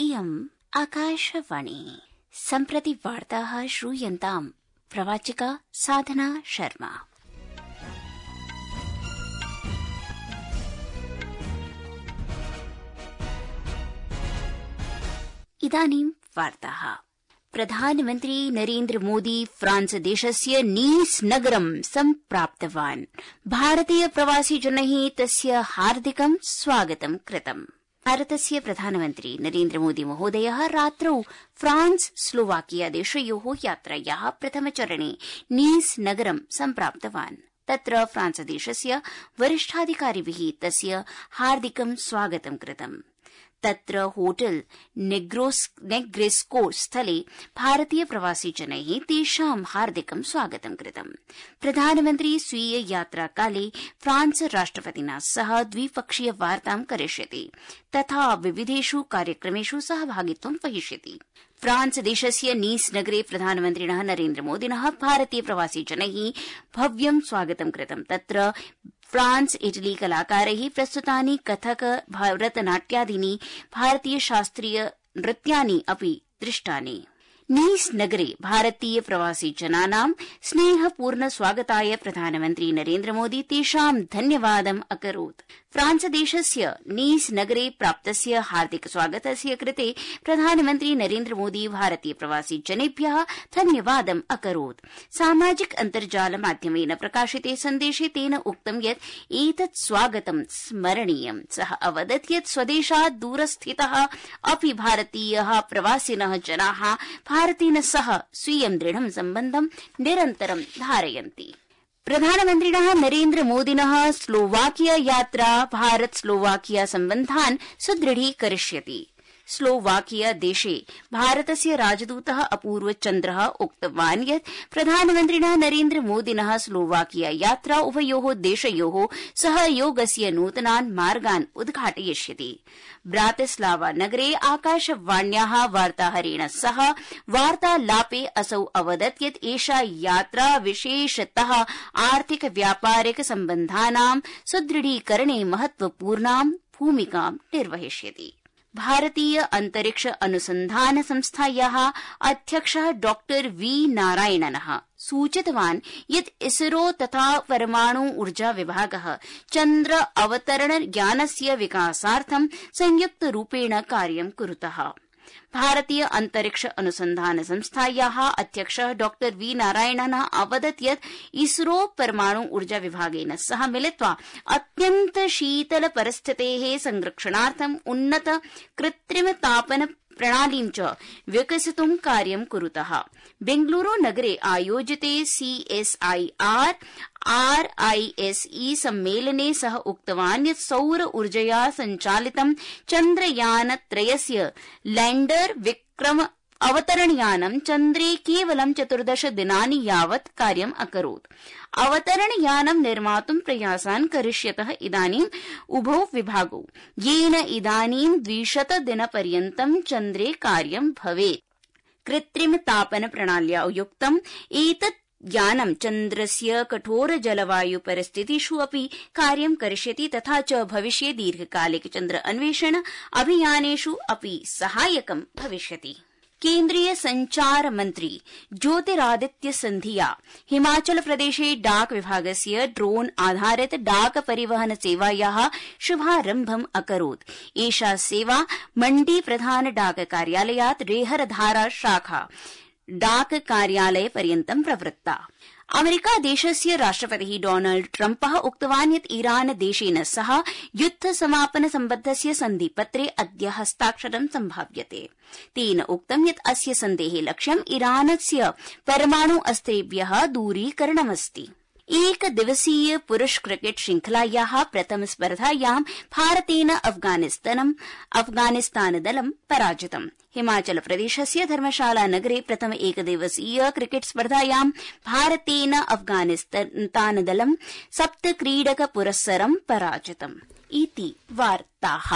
इयम् आकाशवाणी। सम्प्रति वार्ताः श्रूयन्ताम्। प्रवाचिका साधना शर्मा। इदानीं वार्ताः। प्रधानमन्त्री नरेन्द्र मोदी फ्रांस देशस्य नीस् नगरं सम्प्राप्तवान्। भारतीय प्रवासिजनैः तस्य हार्दिकं स्वागतं कृतम्। भारतस्य प्रधानमन्त्री नरेन्द्र मोदी महोदयः रात्रौ फ्रांस स्लोवाकिया देशयोः यात्रायाः प्रथमचरणे नीस् नगरं सम्प्राप्तवान्। तत्र फ्रांस देशस्य वरिष्ठाधिकारिभिः तस्य हार्दिकं स्वागतं कृतम्। तत्र होटेल नेग्रेस्को स्थले भारतीय प्रवासिजनैः तेषां हार्दिकं स्वागतं कृतम्। प्रधानमन्त्री स्वीय यात्राकाले फ्रांस राष्ट्रपतिना सह द्विपक्षीय वार्तां करिष्यति तथा विविधेषु कार्यक्रमेषु सहभागित्वं वहिष्यति। फ्रांस देशस्य नीस् नगरे प्रधानमन्त्रिणः नरेन्द्र मोदिनः भारतीय प्रवासिजनैः भव्यं स्वागतं कृतम्। तत्र फ्रांस इटली कलाकारैः प्रस्तुतानि कथक भरतनाट्यादीनि भारतीय शास्त्रीय नृत्यानि अपि दृष्टानि। नीस् नगरे भारतीय प्रवासिजनानां स्नेहपूर्ण स्वागताय प्रधानमन्त्री नरेन्द्र मोदी तेषां धन्यवादम् अकरोत्। फ्रांस देशस्य नीस् नगरे प्राप्तस्य हार्दिक स्वागतस्य कृते प्रधानमन्त्री नरेन्द्र मोदी भारतीय प्रवासिजनेभ्यः धन्यवादम् अकरोत्। सामाजिक अन्तर्जाल माध्यमेन प्रकाशिते सन्देशे तेन उक्तं यत् एतत् स्वागतं स्मरणीयम्। सः अवदत् यत् स्वदेशात् दूरस्थितः अपि भारतीयः प्रवासिनः जनाः भारतेन सह स्वीयं दृढं सम्बन्धं निरन्तरं धारयन्ति। प्रधानमन्त्रिणः नरेन्द्र मोदिनः स्लोवाकिया यात्रा भारत स्लोवाकिया सम्बन्धान् सुदृढीकरिष्यति। स्लोवाकिया देशे भारतस्य राजदूतः अपूर्व चन्द्रः उक्तवान् यत् प्रधानमन्त्रिणः नरेन्द्र मोदिनः स्लोवाकिया यात्रा उभयोः देशयोः सहयोगस्य नूतनान् मार्गान् उद्घाटयिष्यति। ब्रातिस्लावा नगरे आकाशवाण्याः वार्ताहरेण सह वार्तालापे असौ अवदत् यत् एषा यात्रा विशेषतः आर्थिक व्यापारिक सम्बन्धानां सुदृढीकरणे महत्वपूर्णां भूमिकां निर्वहिष्यति। भारतीय अंतरिक्ष अनुसंधान संस्थायाः अध्यक्षः डॉ वी नारायणनः सूचितवान् यत् इसरो तथा परमाणु ऊर्जा विभागः चन्द्र अवतरण यानस्य विकासार्थं संयुक्तरूपेण कार्यं कुरुतः। भारतीय अंतरिक्ष अनुसंधान संस्थायाः अध्यक्षः डॉ वी नारायणनः अवदत् यत् इसरो परमाणु ऊर्जा विभागेन सह मिलित्वा अत्यन्त शीतल परिस्थितेः संरक्षणार्थं उन्नत कृत्रिम तापन प्रणालीं च विकसितुं कार्यं कुरुतः। बेंगलुरु नगरे आयोजिते CSIR RISE सम्मेलने सः उक्तवान् यत् सौर ऊर्जया सञ्चालितं चन्द्रयानत्रयस्य लैण्डर विक्रम अवतरणयानं चन्द्रे केवलं 14 दिनानि यावत् कार्यम् अकरोत्। अवतरणयानं निर्मातुं प्रयासान् करिष्यतः इदानीम् उभौ विभागौ, येन इदानीं 200 दिनपर्यन्तं चन्द्रे कार्यं भवेत्। कृत्रिम तापन प्रणाल्या युक्तम् एतत् यानं चन्द्रस्य कठोर जलवायु परिस्थितिषु अपि कार्यं करिष्यति तथा च भविष्ये दीर्घकालिक चन्द्र अन्वेषण अभियानेषु अपि सहायकं भविष्यति। केन्द्रीय संचार मन्त्री ज्योतिरादित्य सिन्धिया हिमाचल प्रदेशे डाक विभागस्य ड्रोन आधारित डाक परिवहन सेवायाः शुभारम्भम् अकरोत्। एषा सेवा मण्डी प्रधान डाक कार्यालयात् रेहरधारा शाखा डाक कार्यालय पर्यन्तं प्रवृत्ता। अमेरिका देशस्य राष्ट्रपतिः डोनाल्ड ट्रम्पः उक्तवान् यत् ईरान देशेन सह युद्ध समापन सम्बद्धस्य सन्धिपत्रे अद्य हस्ताक्षरं सम्भाव्यते। तेन उक्तं यत् अस्य सन्धेः लक्ष्यम् ईरानस्य परमाणु अस्त्रेभ्यः दूरीकरणमस्ति। एक दिवसीय पुरुष क्रिकेट श्रृंखलायाः प्रथम स्पर्धायां भारतेन अफगानिस्तानदलं पराजितम्। हिमाचल प्रदेशस्य धर्मशाला नगरे प्रथम एकदिवसीय क्रिकेट स्पर्धायां भारतेन अफगानिस्तानदलं 7 क्रीडक पुरस्सरं पराजितम्। इति वार्ताः।